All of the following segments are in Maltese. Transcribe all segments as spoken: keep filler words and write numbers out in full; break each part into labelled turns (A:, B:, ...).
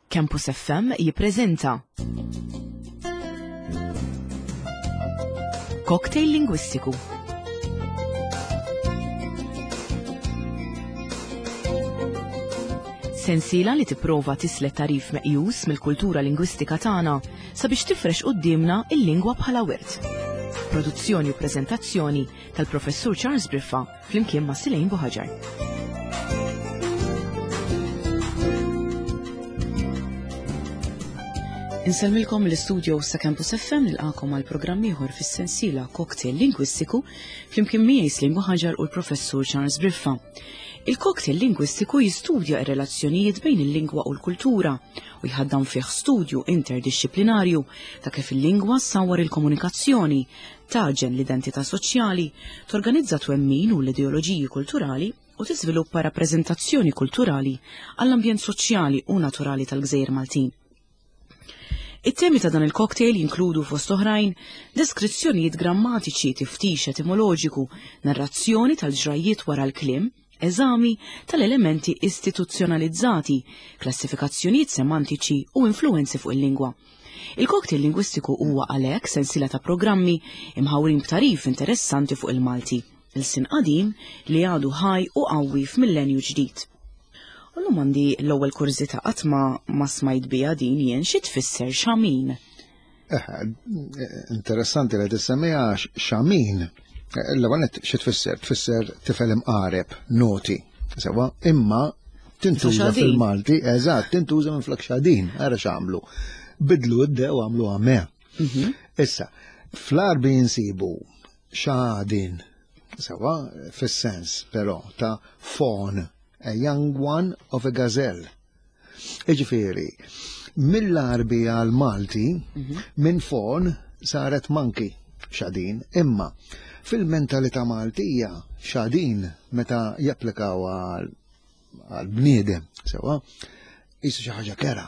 A: Campus F M jippreżenta Cocktail Lingwistiku. Sensiela li tipprova tislet tarif meqjus mill-kultura lingwistika tagħna sabiex tifrex quddiemna il-lingwa bħala wirt. Produzzjoni u preżentazzjoni tal-Professur Charles Briffa flimkien ma' Silejn Buħaġar. Insellmilkom l-istudio sa' Campus F M nilqakom għal programm ieħor fis-sensiela Cocktail Lingwistiku flimkien miegħi Silejn Buħaġar u l-Professur Charles Briffa. Il-cocktail lingwistiku jistudja r-relazzjonijiet bejn il-lingwa u l-kultura u jħaddam fih studju interdixxiplinarju ta' kif il-lingwa ssawwar il-komunikazzjoni, taġen l-identità soċjali, torganizza twemmin u l-ideoloġiji kulturali u tiżviluppa rappreżentazzjoni kulturali għall-ambjent soċjali u naturali tal-Gżejjer Maltin. It-temi ta' dan il-cocktail jinkludu fost oħrajn deskrizzjonijiet grammatiċi, tiftix etimoloġiku, narrazzjoni tal-ġrajiet wara l-kliem, eżami tal-elementi istituzzjonalizzati, klassifikazzjonijiet semantiċi u influenzi fuq il-lingwa. Il-cocktail lingwistiku huwa għalhekk sensiela ta' programmi imħawrin b'tarif interessanti fuq il-Malti, il-sin qadim li għadu ħaj u qawwi f'millenju ġdid. U llum għandi l-ewwel kurżità qatt ma, ma smajt biha din jien, xi tfisser xamin?
B: Eh, interessanti li tissemmiha xamin. L-ewwel nett xi tfisser? Tfisser tifel imqareb, noti. Sewa, imma tintuża fil-Malti, eżatt, tintuża minn flok xadin, ara x'għamlu. Bidlu d-dew għamlu għamea. Issa, fl-Arbi jinsibu xadin, sewa, fis-sens però ta' fawn, a young one of a gazelle. Iġifieri, mill-Arbi għal-Malti, minn fawn saret monkey, xadin, imma fil-mentalità Maltija xadin meta japplikaw għal bniedem, sewa, jisu xi ħaġa kera.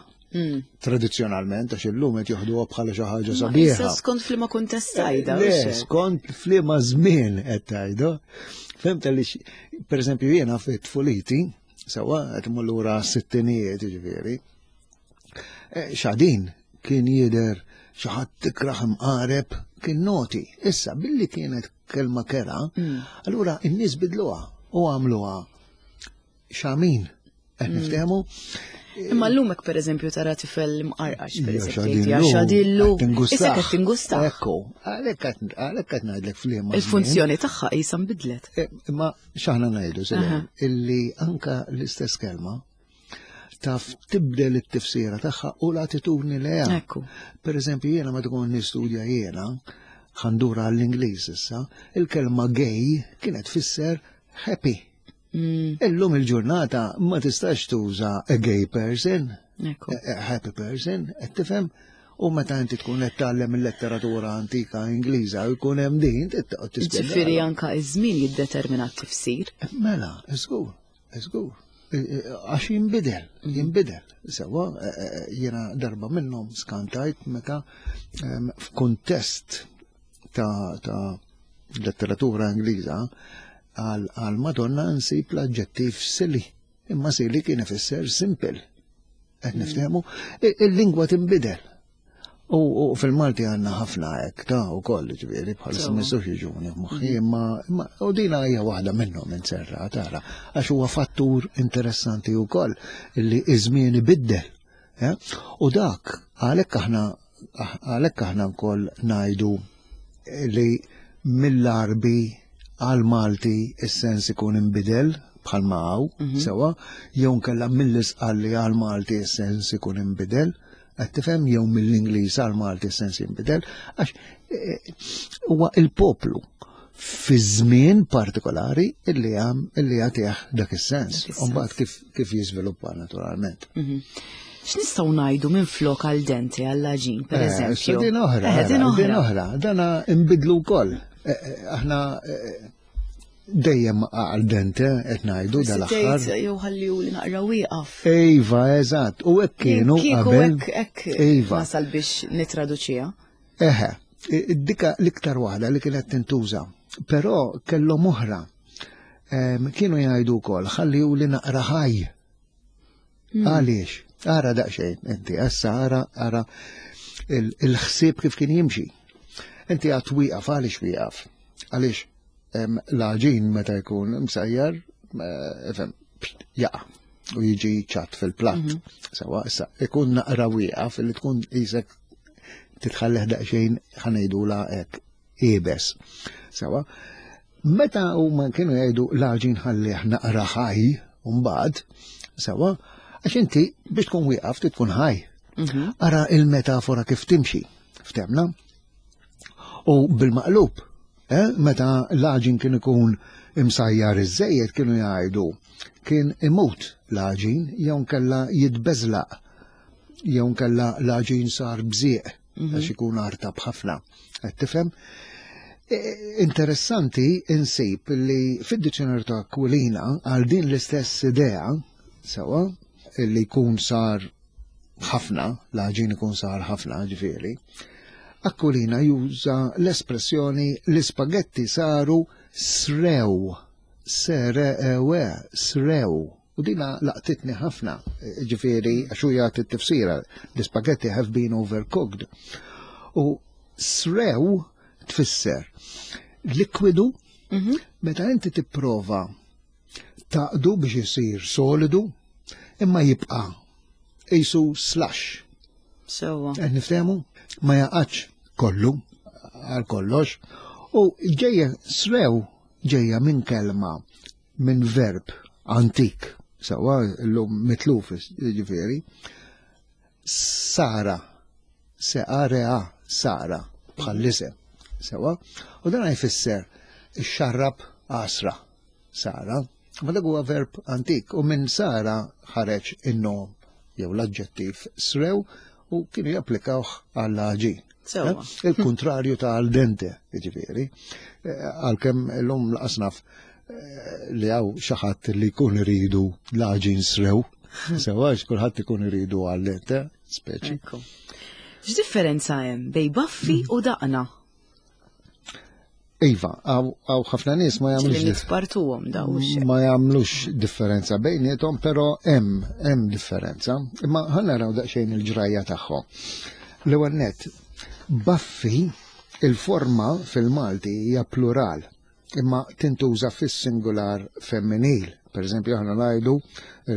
B: Tradizzjonalment, għax illum qed joħduha bħala xi ħaġa sabiħa.
A: Issa skont f'liema kuntest tgħidha,
B: Le,
A: mhux hekk?
B: skont f'liema żmien qed tgħidu. Fhimt li pereżempju jiena fit-tfuliti, sewa qed imur lura s-sittinijiet, jiġifieri. Xadin kien jidher xi ħadd tikraħ imqareb kien noti. Issa billi kienet kelma kera, allura n-nies bidluha u għamluha xamin. Qed niftehmu?
A: Imma llum hekk pereżempju tara tifel mqarqax,
B: Ija,
A: pereżempju,
B: xadin
A: tgħid, ja,
B: lum,
A: xadillu.
B: qed tingustaħ.
A: Issa qed tingustaħ.
B: Ekku, għalhekk qed, għalhekk qed ngħidlek f'liema żmien.
A: Il-funzjoni tagħha qisha nbidlet.
B: Eh, imma x'aħna ngħidu, Selene,
A: Aha.
B: illi anka l-istess kelma taf tibdel it-tifsira tagħha u l-attitudni li hemm.
A: Ekku.
B: Per eżempju, jiena meta tkun nistudja jiena, ħandura għall-Ingliż issa, il-kelma gay kienet tfisser happy.
A: Mm.
B: Illum il-ġurnata ma tistax tuża a gay person,
A: Ekku.
B: a, a happy person, qed tifhem? U meta inti tkun qed tgħallem il-letteratura antika Ingliża u jkun hemm din, titqgħod tispjega.
A: Ġifieri anka iż-żmien jiddetermina t-tifsir.
B: Mela, żgur, żgur. Għax jinbidel, jinbidel. Sewa, jiena darba minnhom skantajt meta, em, f'kuntest ta', ta' letteratura Ingliża għal, għal Madonna nsib l-aġġettiv silly. Imma silly kien ifisser simple. Qed niftehmu, i-, il-lingwa tinbidel. U, u fil-Malti għandna ħafna hekk ta' wkoll, ġifieri, bħalissa
A: Sewa.
B: ma jistgħux jiġuni f'moħħi, imma, imma u dina hija waħda minnhom inserra, tara, għax huwa fattur interessanti wkoll illi iż-żmien ibiddel. Eh? U dak għalhekk aħna, għalhekk aħna wkoll ngħidu li mill-Arbi għal-Malti is-sens ikun inbidel bħalma hawn,
A: Mhm.
B: sewa, jew nkella mill-Isqalli għal-Malti is-sens ikun inbidel, qed tifhem, jew mill-Ingliż għal-Malti is-sens jinbidel, għax, eh, huwa il-poplu fi żmien partikolari illi għam, illi jagħtih dak is-sens.
A: Dak is-sens.
B: U mbagħad kif, kif jiżviluppa naturalment.
A: Mhm. X'nistgħu ngħidu minn flok għal dente għall-għaġin, per
B: Eh,
A: eżempju?
B: issa din oħra,
A: Eh, din
B: din
A: oħra.
B: oħra. Dana inbidlu wkoll. Eh, eh, aħna, eh, dejjem għal dente qed ngħidu
A: Forsi
B: dal-aħħar.
A: tgħid, jew ħalli li naqra wieqaf.
B: Iva, eżatt, u hekk kienu
A: Kieku
B: qabel.
A: hekk, hekk
B: Iva.
A: nasal biex nitraduċiha.
B: Eħe, dika l-iktar waħda li kienet tintuża, però kellhom oħra. Em, kienu jgħidu wkoll ħalli li naqra ħaj.
A: Hmm.
B: Għaliex? Ara daqsxejn, inti issa ara ara il-ħsieb kif kien jimxi. Inti għad wieqaf, għaliex wieqaf? Għaliex l-għaġin meta jkun msajjar, ifhem, jaqa' u jiġi ċatt fil-platt. Mhm. Sewa, issa, ikun naqra wieqaf li tkun qisek titħalleh daqsxejn, ħa ngħidula hekk, iebes. Sewa, meta huma kienu jgħidu l-għaġin ħallih naqra ħaj, mbagħad, sewa, għax inti biex tkun wieqaf tkun ħaj. Mhm. Ara il-metafora kif timxi, ftemna? U bil-maqlub, eh, meta l-għaġin kien ikun imsajjar iż-żejjed kienu jgħidu kien imut l-għaġin jew kella jitbeżlaq jew kella l-għaġin sar bżieq mhm. għax ikun artab ħafna. Qed tifhem? E, interessanti insib li fid-dizzjonarju ta' Aquilina għal din l-istess idea sewa li jkun sar ħafna, l-għaġin ikun sar ħafna ġifieri, Aquilina juża l-espressjoni l-ispagetti saru srew, serewe, srew. U dina laqtitni ħafna, ġifieri, għax hu jagħti t-tifsira, the spaghetti have been overcooked. U srew tfisser likwidu, mhm. meta inti tipprova tgħaqqdu biex isir solidu, imma jibqa' qisu slush.
A: Sewa.
B: Qed niftehmu? Ma jaqax kollu għal kollox. U ġejja srew ġejja minn kelma minn verb antik, sewa llum mitluf ġifieri, sara, se-a-re-a, sara, bħall-isem, sewa, u dan jfisser xarrab għasra, sara, ma dak huwa verb antik u minn sara ħareġ in-nom jew l-aġġettiv srew u kienu japplikawh għall-għaġin.
A: Sewa.
B: Eh? Il-kontrarju ta' al dente, ġifieri. Eh, għalkemm l-lum laqasnaf eh, li hawn xi ħadd li jkun iridu l-għaġin srew. Sewa, kulħadd ikun iridu al dente, speċi.
A: Ekku. X'differenza hemm bejn baffi u daqna?
B: Iva, hawn ħafna nies ma
A: Ġieli
B: jagħmlux
A: nitpartuhom daw ix
B: ma jagħmlux differenza bejniethom, però hemm hemm differenza. Imma ħa naraw daqsxejn il-ġrajja tagħhom. L-ewwel nett, baffi il-forma fil-Malti hija plural, imma tintuża fis-singular femminil. Per eżempju, aħna ngħidu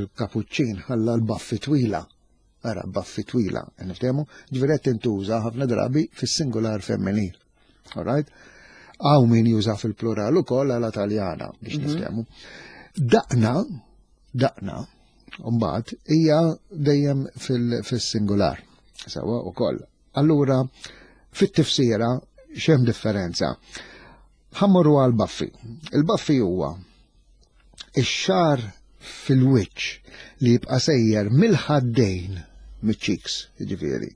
B: il-kapuċċin ħalla l-baffi twila. Ara, baffi twila, niftehmu? Ġifieri qed tintuża ħafna drabi fis-singular femminil. All right? Hawn min juża fil-plural ukoll għala Taljana biex mhm. niftehmu. Daqna, daqna, mbagħad hija dejjem fil-singular. Sewa ukoll. Allura, fit-tifsira x'hemm differenza? Ħa mmorru għal baffi. Il-baffi huwa ix-xagħar fil-wiċċ li jibqa' sejjer mill-ħaddejn miċ-cheeks, ġifieri.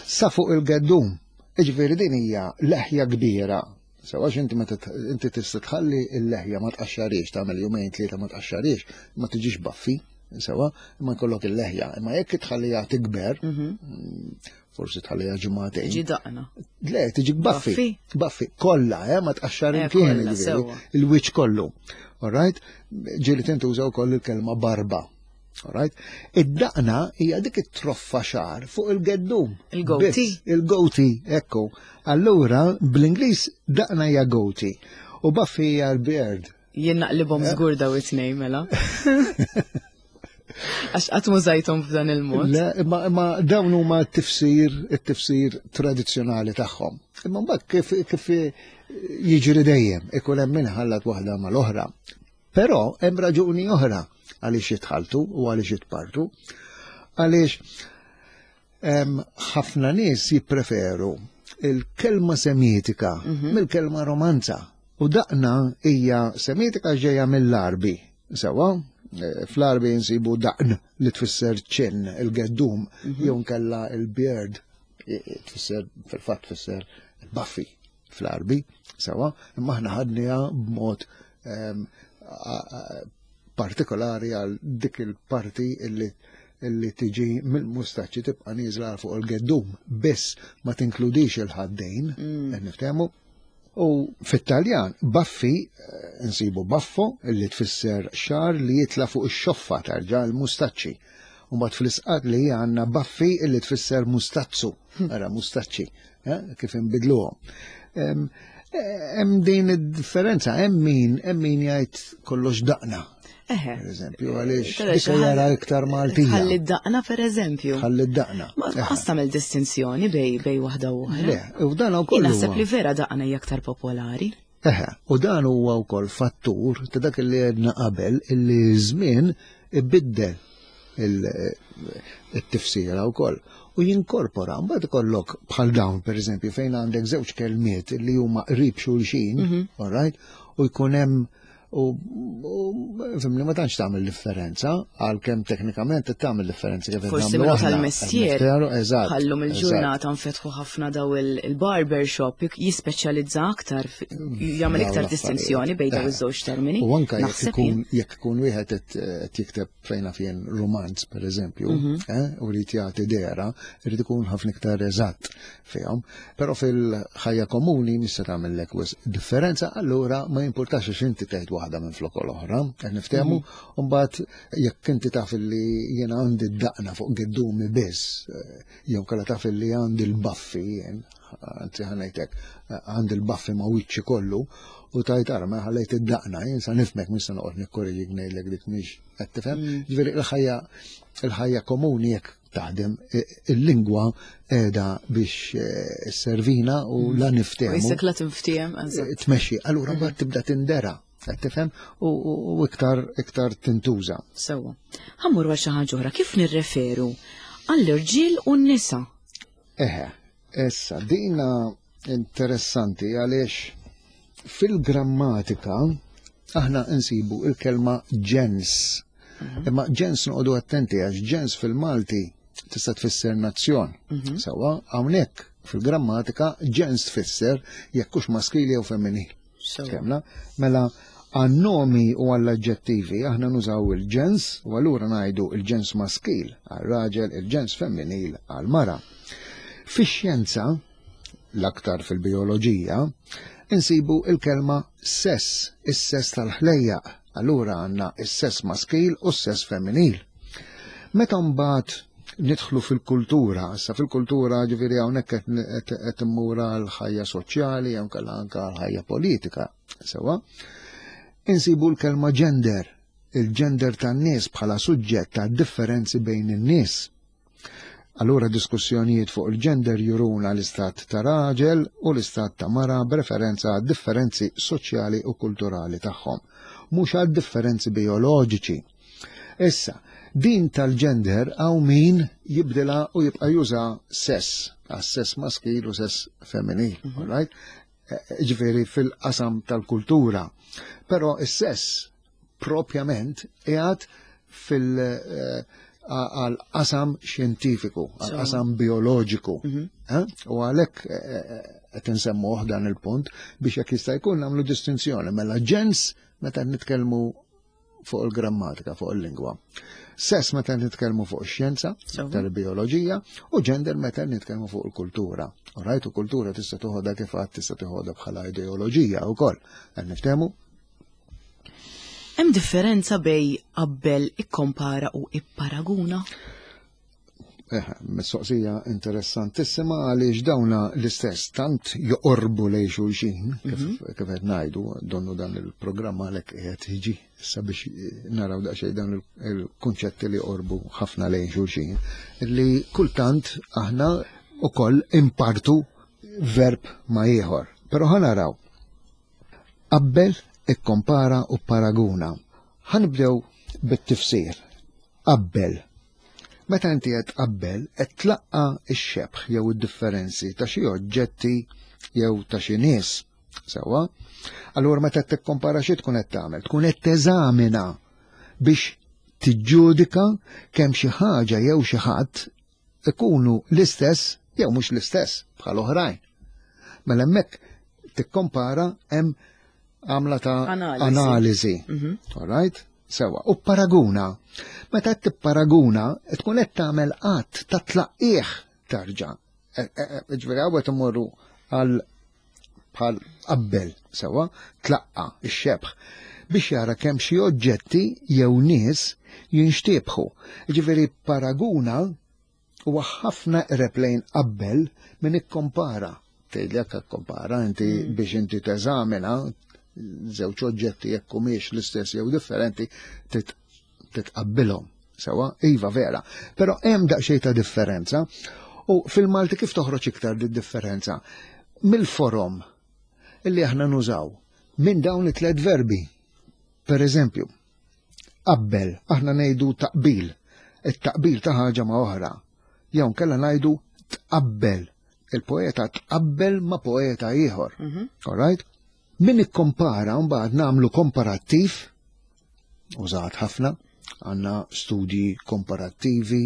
B: Sa fuq il-geddum, ġifieri din hija leħja kbira. Sewa inti meta inti tista' tħalli l-leħja ma tqaxxarix, tagħmel jumejn tlieta ma tqaxxarix, ma tiġix baffi, sewa, imma jkollok il-leħja. Imma jekk tħalliha tikber, mhm. forsi tħalliha ġimagħtejn.
A: Tiġi daqna.
B: Le, tiġi baffi. Baffi, kollha, eh, ma tqaxxar eh, imkien, il-wiċċ kollu. All right? Ġieli tintuża wkoll il-kelma barba. All right? Id-daqna hija dik it-troffa xagħar fuq il-geddum.
A: Il-goatee.
B: Il-goatee, ekku. Allura, bl-Ingliż daqna hija goatee. U baffi hija l-beard.
A: Jien naqlibhom eh? żgur daw it-tnejn mela. Għax qatt mużajthom f'dan il-mod.
B: Le, imma imma dawn huma t-tifsir, it-tifsir tradizzjonali tagħhom. Imma mbagħad kif kif jiġri dejjem, ikun hemm min ħallat waħda mal-oħra. Però hemm raġuni oħra għaliex jitħaltu u għaliex jitpartu. Għaliex ħafna nies jippreferu il-kelma semitika mhm. mill-kelma romanza. U daqna hija semitika ġejja mill-Arbi. Sewa, eh, fl-Arbi nsibu daqn li tfisser chin, il-geddum, mhm. jew nkella il-beard, tfisser fil-fatt tfisser baffi fl-Arbi, sewa, imma aħna ħadniha b'mod ehm, partikolari għal dik il-parti illi illi tiġi mill-mustaċċi tibqa' nieżla fuq il-geddum, biss ma tinkludix il-ħaddejn, mm. qed niftehmu. U fit-Taljan, baffi, eh, nsibu baffo, illi tfisser xagħar li jitla fuq ix-xoffa tarġa l-mustaċċi. U mbagħad fl-Isqalli għandna baffi illi tfisser mustazzu, ara mustaċċi, eh, kif inbidluhom. Hemm din id-differenza, hemm min hemm min jgħid kollox daqna.
A: Eħe.
B: Per eżempju, għaliex dik jara iktar Maltija.
A: Ħalli daqna per eżempju.
B: Ħalli daqna.
A: Ma tqas tagħmel distinzjoni bej bej waħda u oħra.
B: Le, u dan ukoll.
A: Naħseb li vera daqna hija aktar popolari.
B: Eħe, u dan huwa wkoll fattur ta' dak li għedna qabel illi żmien ibiddel il-tifsira wkoll. U jinkorpora, mbagħad ikollok bħal dawn pereżempju fejn għandek żewġ kelmiet li huma qrib xulxin, all right, u jkun hemm u fimni ma tantx tagħmel differenza għalkemm teknikament tagħmel differenza kif
A: Forsi
B: nagħmlu
A: minnu
B: aħna.
A: tal-mestier.
B: Eżatt.
A: Ħallum
B: eżatt.
A: il-ġurnata nfetħu ħafna daw il-barber shop jispeċjalizza aktar, fi- jagħmel
B: Dawn
A: iktar
B: l-affarijiet.
A: distinzjoni bejn daw
B: Eh.
A: iż-żewġ termini.
B: U anka jekk
A: Naħseb
B: ikun
A: jien.
B: jekk ikun wieħed qed qed jikteb fejn fien romanz pereżempju,
A: Mhm.
B: eh, u jrid jagħti dehra, irid ikun ħafna iktar eżatt fihom. Però fil-ħajja komuni mhix se tagħmellek wisq differenza, allura ma jimpurtax għax inti tgħid waħda minn flok l-oħra, qed niftehmu,
A: Mhm.
B: u mbagħad jekk inti taf li jiena għandi d-daqna fuq giddumi biss, eh, jew kalla taf li għandi l-baffi jien, anzi ħa ngħidlek, għandi l-baffi ma' wiċċi kollu, u tajt ara ma ħallejt id-daqna, jien sa nifhmek mhux se noqgħod nikkoreġik ngħidlek dik mhix qed tifhem.
A: Mm.
B: Ġifieri il-ħajja il-ħajja komuni jekk taħdem i- il-lingwa qiegħda biex eh, servina u la
A: U
B: niftehmu
A: jisek la tinftiehem, eżatt.
B: tmexxi. Allura mbagħad tibda tindera, qed tifhem u, u, u iktar iktar tintuża.
A: Sewwa. Ħa mmur għal xi ħaġa oħra, kif nirreferu għall-irġiel u n-nisa?
B: Eħe, issa dina interessanti għaliex fil-grammatika aħna nsibu il-kelma ġens. Imma ġens noqogħdu attenti għax ġens fil-Malti tista' tfisser nazzjon. Sewwa, hawnhekk fil-grammatika ġens tfisser jekk hux maskili jew femminil.
A: Sewwa.
B: Kemna? Mela għan-nomi u għall-aġġettivi aħna nużaw il-ġens u allura ngħidu il-ġens maskil għal-raġel, il-ġens femminil għal-mara. Fix-xjenza, l-aktar fil-bioloġija, insibu il-kelma sess, is-sess tal-ħlejjaq. Allura għandna is-sess maskil u s-sess femminil. Meta mbagħad nidħlu fil-kultura, issa fil-kultura ġifieri hawnhekk qed qed- qed immur għal ħajja soċjali jew inkella anke għal ħajja politika, sewwa. Insibu l-kelma gender, il-gender tan-nies bħala suġġett ta' differenzi bejn in-nies. Allura diskussjonijiet fuq il-gender juruna l-istat ta' raġel u l-istat ta' mara b'referenza għad differenzi soċjali u kulturali tagħhom, mhux għad differenzi bioloġiċi. Issa, din tal-gender hawn min jibdilha u jibqa' juża sess, għas sess maskil u sess femminil, mm right? Ġifieri fil-qasam tal-kultura. Però is-sess propjament qiegħed fil- eh, għal-qasam xjentifiku, għal-qasam bioloġiku. Eh? U għalhekk eh, qed insemmuh dan il-punt biex jekk jista' jkun nagħmlu distinzjoni mela ġens meta nitkellmu fuq il-grammatika, fuq il-lingwa. Sess meta nitkellmu fuq ix-xjenza,
A: Sewwa.
B: tal-bioloġija, u gender meta nitkellmu fuq il-kultura. Alright, u kultura tista' toħodha kif għad tista' toħodha bħala ideoloġija wkoll. Qed niftehmu?
A: Hemm differenza bej qabbel, ikkompara u ipparaguna?
B: Eh, mistoqsija interessantissima għaliex dawna l-istess tant joqorbu lejn xulxin, kif kif qed ngħidu, donnu dan il-programm għalhekk qiegħed jiġi issa biex naraw daqsxejn dawn il-kunċetti li joqorbu ħafna lejn xulxin, li kultant aħna ukoll impartu verb ma ieħor. Però ħa naraw. Qabbel, ikkompara u paraguna. Ħa nibdew bit-tifsir. Qabbel. Meta inti qed tqabbel, qed tlaqqa x-xebh jew id-differenzi ta' xi oġġetti jew ta' xi nies. Sewwa? Allura meta qed tikkompara xi tkun qed tagħmel? Tkun qed teżamina biex tiġġudika kemm xi ħaġa jew xi ħadd ikunu l-istess jew mhux l-istess bħal oħrajn. Mela hemmhekk tikkompara hemm għamla ta'
A: Analiżi.
B: analiżi.
A: Mhm.
B: All right? Sewwa, u paraguna. Meta qed tipparaguna, tkun qed tagħmel qatt ta' tlaqqieħ tarġa'. E- e- e- Ġifieri hawn qed immorru għal bħal qabbel, sewwa, tlaqqa, ix-xebh biex jara kemm xi oġġetti jew nies Jinxtiebħu. Ġifieri paraguna huwa ħafna eqreb lejn qabbel minn ikkompara. Tgħidli jekk ikkompara inti mm. biex inti teżamina żewġ oġġetti jekk humiex l-istess jew differenti titqabbilhom. Sewa, iva vera. Però hemm daqsxejn ta' differenza u fil-Malti kif toħroġ iktar di differenza? Mill-forom illi aħna nużaw minn dawn it-tliet verbi. Per eżempju, qabbel, aħna ngħidu taqbil, it-taqbil ta' ħaġa ma' oħra. Jew nkella ngħidu tqabbel, il-poeta tqabbel ma' poeta ieħor. Mm -hmm. All right? Min ikkompara mbagħad nagħmlu komparattiv, użat ħafna, għandna studji komparattivi,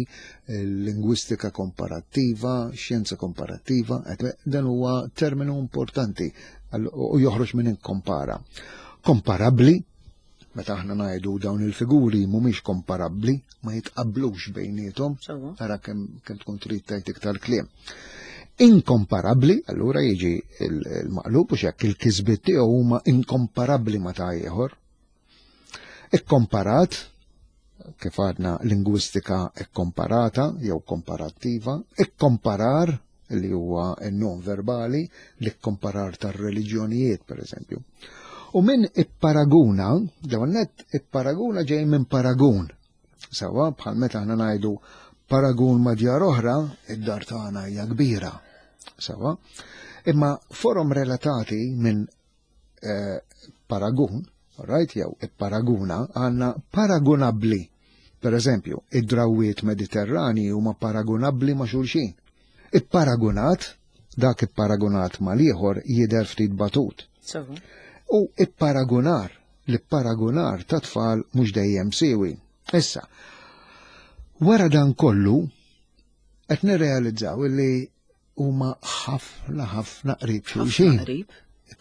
B: lingwistika komparattiva, xjenza komparattiva, dan huwa terminu importanti u joħroġ minn ikkompara. Komparabbli, meta aħna ngħidu dawn il-figuri mhumiex komparabbli, ma jitqabblux bejniethom, ara kemm kemm tkun trid tgħid iktar kliem. Inkomparabbli, allura jiġi il-maqlub u xekk il-kisbiet tiegħu huma inkomparabbli ma ta' ieħor. Ikkomparat, kif għadna lingwistika ikkomparata jew komparattiva, ikkomparar li huwa n-non verbali, l-ikkomparar tar-reliġjonijiet per eżempju. U minn ipparaguna, dawn net ipparaguna ġej minn paragun. Sawa, bħal meta aħna ngħidu paragun ma' djar oħra, id-dar tagħna hija kbira. Sawa, imma forom relatati minn eh, paragun, right, jew ipparaguna, għandna paragunabbli. Per eżempju, id-drawiet mediterrani huma paragunabbli ma' xulxin. Ipparagunat, dak ipparagunat mal-ieħor jidher ftit batut.
A: Sawa.
B: U ipparagunar, l-ipparagunar ta' tfal mhux dejjem siwi. Issa, wara dan kollu, qed nirrealizzaw li huma ħafna ħafna qrib xulxin.
A: Qrib.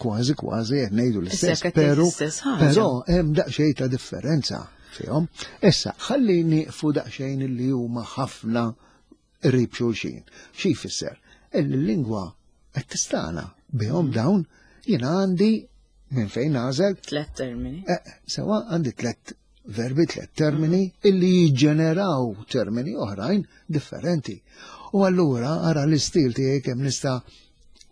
B: Kważi kważi qed ngħidu l-istess,
A: Issa, qed tgħid
B: pero
A: l-istess ħaġa.
B: però hemm daqsxejn ta' differenza fihom. Issa, ħalli nieqfu daqsxejn li huma ħafna qrib xulxin. Xi jfisser? Illi l-lingwa qed tistana bihom dawn jiena għandi minn fejn nagħżel
A: Tlet termini.
B: Eh, sewa għandi tlet verbi, tlet termini illi jiġġeneraw termini oħrajn differenti. U allura ara l-istil tiegħi kemm nista'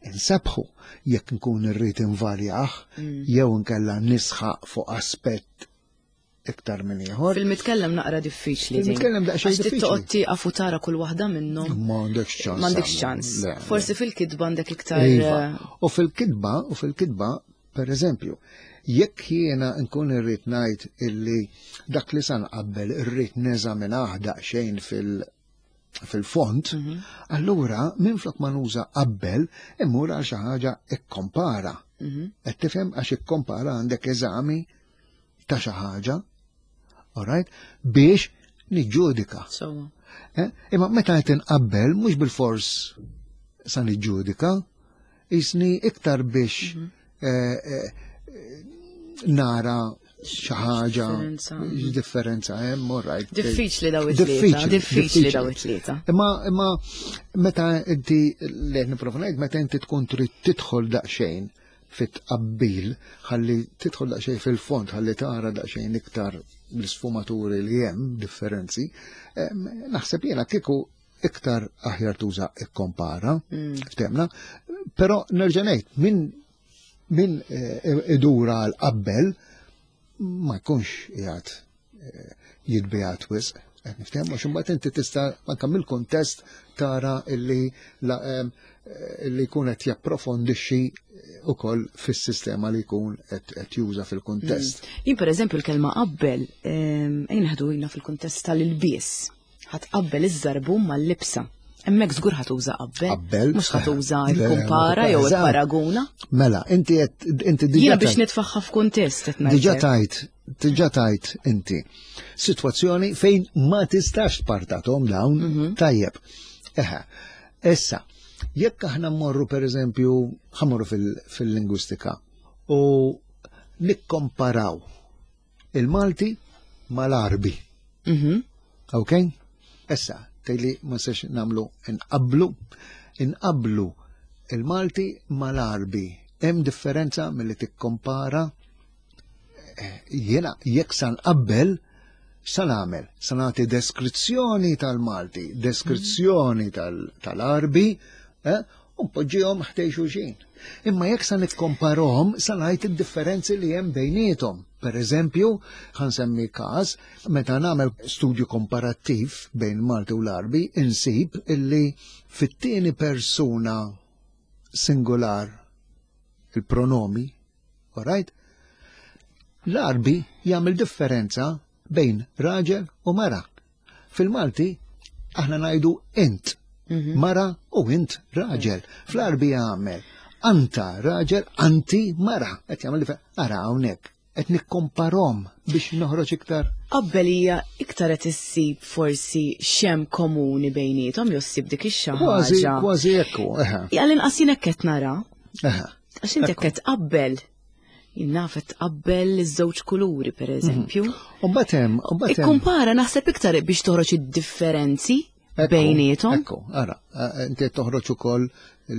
B: insebħu jekk nkun irrid invarjah jew nkella nisħaq fuq aspett iktar minn ieħor.
A: Fil-mitkellem naqra diffiċli. din.
B: Fil-mitkellem daqsxejn
A: Għax trid
B: diffiċli.
A: toqgħod tieqaf u tara kull waħda minnhom.
B: Ma għandekx ċans.
A: M'għandekx
B: tagħmel.
A: ċans.
B: Le, le.
A: Forsi fil-kitba għandek iktar.
B: Iva.
A: eh,
B: U fil-kitba, u fil-kitba, per eżempju, jekk jiena nkun irrid ngħid illi dak li san qabel irrid neżaminah daqsxejn fil- fil-font,
A: Mhm.
B: allura minflok ma nuża qabbel, immur għal xi ħaġa ikkompara.
A: mhm.
B: Qed tifhem għax ikkompara għandek eżami ta' xi ħaġa, alright, biex niġġudika.
A: Sewwa.
B: Eh? Imma meta qed inqabbel mhux bil-fors sa niġġudika, jisni iktar biex
A: Mhm.
B: eh, eh, nara xi ħaġa
A: Differenza.
B: differenza hemm, all right.
A: Diffiċli daw it-tlieta.
B: Diffiċli,
A: Diffiċli daw it-tlieta.
B: Imma imma meta inti li qed nipprova ngħid meta inti tkun trid tidħol daqsxejn fit-tqabbil, ħalli tidħol daqsxejn fil-fond, ħalli tara daqsxejn iktar l-sfumaturi li hemm differenzi, em, naħseb jiena kieku iktar aħjar tuża ikkompara,
A: Mm.
B: ftemna, però nerġa' ngħid min min eh, idura għal qabbel ma jkunx qiegħed eh, jitbijat wisq. Qed niftehom għax imbagħad inti tista' anke mill-kuntest tara illi la, em, eh, illi jkun qed japprofondixxi ukoll fis-sistema li jkun qed qed juża fil-kuntest.
A: Jien per eżempju l-kelma qabbel, ejn ħadu jina fil-kuntest tal-ilbies. Ħa tqabbel iż-żarbun mal-libsa. Hemmhekk żgur ħa tuża qabbel.
B: Qabbel.
A: Mhux ħa tuża
B: Le,
A: ikkumpara jew
B: eżatt.
A: ipparaguna.
B: Mela, inti qed inti diġà
A: Jiena biex
B: tajt-
A: nitfaħħa f'kuntest qed ngħid.
B: diġà tajt diġà tajt inti sitwazzjoni fejn ma tistax tpartathom dawn
A: Mhm.
B: tajjeb. Eħe, issa, jekk aħna mmorru per eżempju, ħammorru fil- fil-lingwistika u nikkomparaw il-Malti mal-Arbi,
A: Mhm.
B: ok? Issa, tgħidli ma sex namlu inqablu, inqablu il-Malti mal-Arbi. Hemm differenza milli tikkompara Eh, jiena jekk sa nqabbel Sa nagħmel, sa nagħti deskrizzjoni tal-Malti, deskrizzjoni tal-Għarbi, eh, u npoġġihom ħdejn xulxin. Imma jekk sa nikkomparahom, sa ngħid id-differenzi li hemm bejniethom. Per eżempju, ħa nsemmi każ, meta nagħmel studju komparattiv bejn Malti u l-Għarbi, insib illi fit-tieni persuna singular il-pronomi, alright? L-Għarbi jagħmel differenza bejn raġel u mara. Fil-Malti aħna ngħidu int mara u int raġel. Fl-Għarbi jagħmel anta raġel, anti mara. Qed jagħmel differ- Ara hawnhekk qed nikkomparahom biex noħroġ iktar.
A: Qabbel hija iktar qed issib forsi xem komuni bejniethom jew ssib dik ix-xi
B: Kważi,
A: ħaġa.
B: kważi ekku. Eħe,
A: Għal inqas jien hekk qed nara,
B: eħe.
A: għax inti hekk qed tqabbel. Jien naf qed tqabbel iż-żewġ kuluri pereżempju.
B: U mbagħad hemm, u mbagħad hemm.
A: Ikkumpara naħseb iktar biex toħroġ id-differenzi
B: Ekku,
A: bejniethom.
B: Ekku, ara, eh, inti qed toħroġ ukoll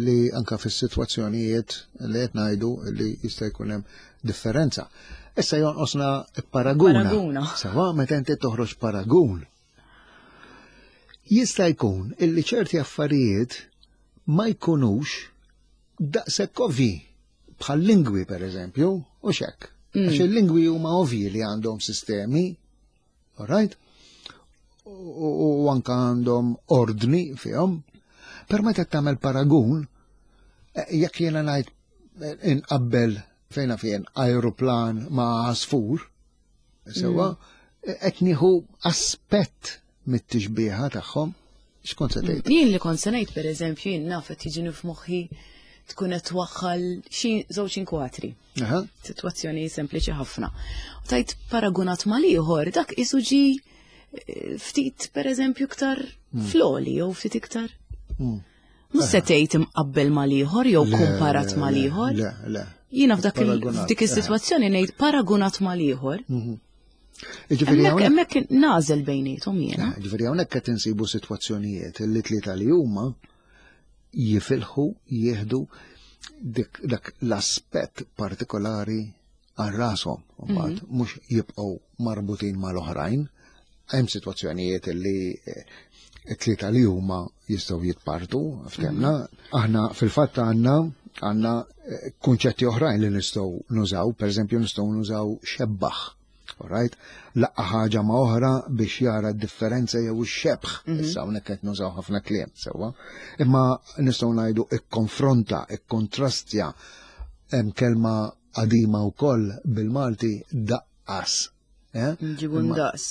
B: li anka fis-sitwazzjonijiet li qed ngħidu li jista' jkun hemm differenza. Issa jonqosna paraguna.
A: Paraguna.
B: Sawa meta inti toħroġ paragun. Jista' jkun illi ċerti affarijiet ma jkunux daqshekk ovvi bħal lingwi per eżempju, u xek. Għax il-lingwi huma ovvi li għandhom sistemi, all right? U u anka għandhom ordni fihom. Per meta tagħmel paragun, eh, jekk jiena ngħid eh, inqabbel fejna fejn aeroplan ma' għasfur, sewa, eh, qed nieħu aspett mit-tixbieħa tagħhom, x'kont se tgħid?
A: Jien li kont se ngħid pereżempju jien naf qed jiġini f'moħħi tkun qed twaħħal xi żewġ inkwatri.
B: Aha.
A: Sitwazzjoni sempliċi ħafna. U tajt paragunat mal-ieħor, dak isu ġi eh, ftit pereżempju iktar fl-għoli jew ftit iktar.
B: Mm.
A: Mhux se tgħid imqabbel mal-ieħor jew
B: Le,
A: kumparat
B: le,
A: mal-ieħor.
B: Le, le.
A: Jiena f'dak il-
B: Paragunat,
A: f'dik is-sitwazzjoni ngħid paragunat mal-ieħor.
B: Ġifieri
A: Hemmhekk
B: hawnhekk
A: hemmhekk nażel bejniethom jiena.
B: Ġifieri hawnhekk qed insibu sitwazzjonijiet li tlieta li huma jifilħu jieħdu dik dak l-aspett partikolari għal rashom, mbagħad mhux jibqgħu marbutin mal-oħrajn. Hemm sitwazzjonijiet li eh, it-tlieta li huma jistgħu jitpartu, ftemna. Aħna fil-fatt għandna għandna eh, kunċetti oħrajn li nistgħu nużaw, per eżempju nistgħu nużaw xebbaħ. Alright? Laqqa ħaġa ma' oħra biex jara d-differenza jew ix-xebħ. Issa hawnhekk qed nużaw ħafna kliem sewwa. Imma nistgħu ngħidu ikkonfronta, ikkontrastja. Hemm kelma qadima wkoll bil-Malti daqqas. Eh?
A: Nġibu
B: Imma-
A: ndaqs.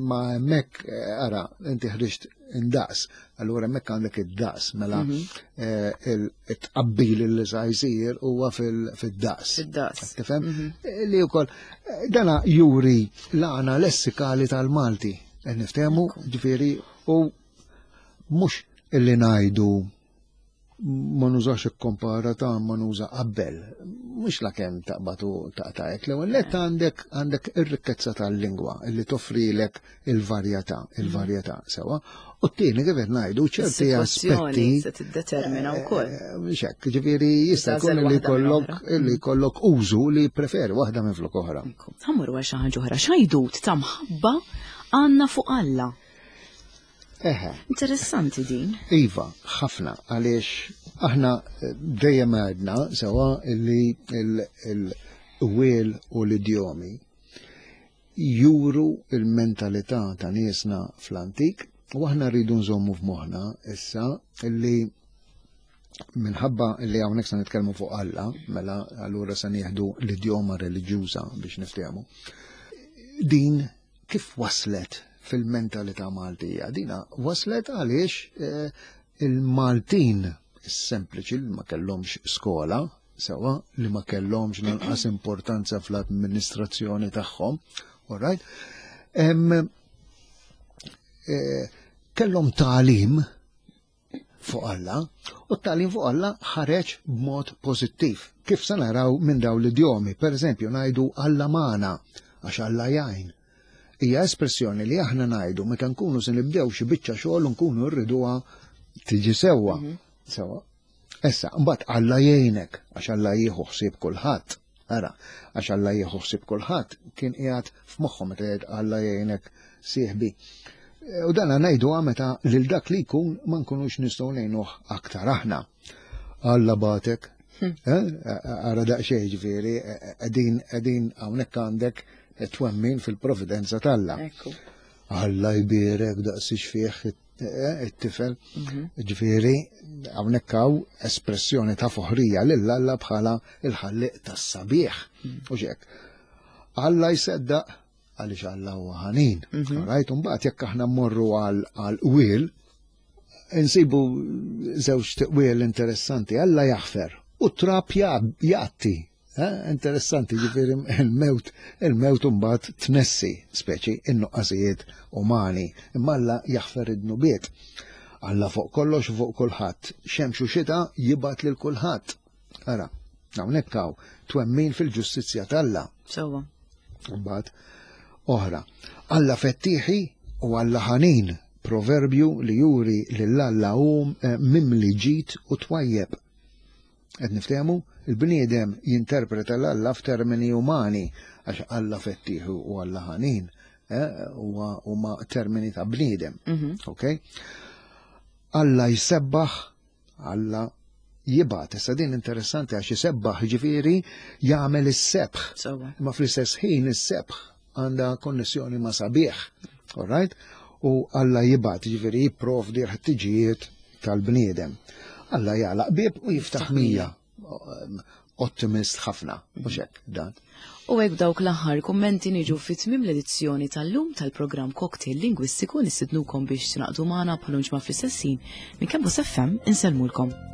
B: Ma hemmhekk eh, ara, inti ħriġt indaqs, allura hemmhekk għandek id-daqs, mela eh, il-tqabbil li sa jsir huwa fil- fid-daqs.
A: Fid-daqs.
B: Tifhem? Eh, Li wkoll eh, dana juri l-għana lessikali tal-Malti. Qed niftehmu, ġifieri, u mhux illi ngħidu ma nużax ikkompara ta' ma nuża qabbel. Mhux la kemm taqbatu taqtajek. L-ewwel nett għandek għandek ir-rikkezza tal-lingwa illi toffrilek il-varjetà, il-varjetà sewa. U t-tieni kif qed ngħidu ċerti
A: Is-sitwazzjoni
B: aspetti
A: se tiddetermina wkoll.
B: Eh, Mhux hekk, ġifieri jista' jkun
A: Tagħżel
B: li
A: waħda minn
B: jkollok
A: oħra.
B: illi jkollok użu li preferi waħda minn flok oħra.
A: Ħa mmorru għal xi ħaġa oħra, x'għajdut ta' mħabba għandna fuq Alla.
B: Eħe.
A: Interessanti din.
B: Iva, ħafna, għaliex aħna eh, dejjem għedna sewa illi il-qwiel u l-idjomi juru il-mentalità ta' niesna fl-antik u aħna rridu nżommu f'moħħna issa illi minħabba li hawnhekk se nitkellmu fuq Alla, mela allura se nieħdu l-idjoma reliġjuża biex niftehmu. Din kif waslet fil-mentalità Maltija? Dina waslet għaliex eh, il-Maltin is-sempliċi li ma kellhomx skola, sewa li ma kellhomx lanqas importanza fl-amministrazzjoni tagħhom, all right? Em, eh, kellhom tagħlim fuq Alla, u t-tagħlim fuq Alla ħareġ b'mod pożittiv. Kif se naraw minn dawn l-idjomi, per eżempju, ngħidu Alla magħna għax Alla jgħin. Hija espressjoni li aħna ngħidu meta nkunu se nibdew xi biċċa xogħol u nkunu rriduha tiġi sewwa. Sewwa. Issa, mbagħad Alla jgħinek għax Alla jieħu ħsieb kulħadd. Ara, għax Alla jieħu ħsieb kulħadd kien qiegħed f'moħħhom meta jgħid Alla jgħinek sieħbi. U dan ngħidu meta lil dak li jkun ma nkunux nistgħu ngħinuh aktar aħna. Alla bagħtek. Eh? Ara daqsxejn ġifieri, qegħdin qegħdin hawnhekk għandek twemmin fil-providenza t'Alla.
A: Ekku.
B: Alla jbierek daqsix fih it-tifel. Ġifieri, hawnhekk hawn espressjoni ta' foħrija lil Alla bħala il-ħalliq tas-sabiħ. U hekk. Alla jseddaq għaliex Alla huwa ħanin. Right? Mbagħad jekk aħna mmorru għal qwiel, insibu żewġ qwiel interessanti. Alla jaħfer u trab jgħatti. Eh, Interessanti, ġifieri il-mewt, il-mewt mbagħad tnessi, speċi in-nuqqasijiet umani. Imma Alla jaħfer id-dnubiet. Alla fuq kollox u fuq kulħadd. Xemx u xita jibgħat lil kulħadd. Ara, hawnhekk hawn twemmin fil-ġustizzja t'Alla.
A: Sewwa.
B: Mbagħad oħra. Alla fettieħi u Alla ħanin, proverbju li juri lil Alla hu eh, mimli ġid u twajjeb. Qed niftehmu, il-bniedem jinterpreta l-Alla f'termini umani għax Alla fettieħi u Alla ħanin eh, huwa huma termini ta' bniedem. Ok? Alla jsebbaħ, Alla jibgħat. Issa din interessanti għax isebbaħ ġifieri jagħmel is-sebħ.
A: Sewwa.
B: Imma fl-istess ħin is-sebħ għandha konnessjoni ma' sabiħ. All right? U Alla jibgħat ġifieri jipprovdi l-ħtiġijiet tal-bniedem. Alla jagħlaq bieb u jiftaħ mija. Ottimist ħafna, mhux hekk dan.
A: U hekk dawk l-aħħar kummenti niġu fi tmiem l-edizzjoni tal-lum tal-programm Cocktail Lingwistiku. Nistednukom biex tingħaqdu magħna bħal ġimgħa fl-istess ħin minn Campus F M. Insellmulkom.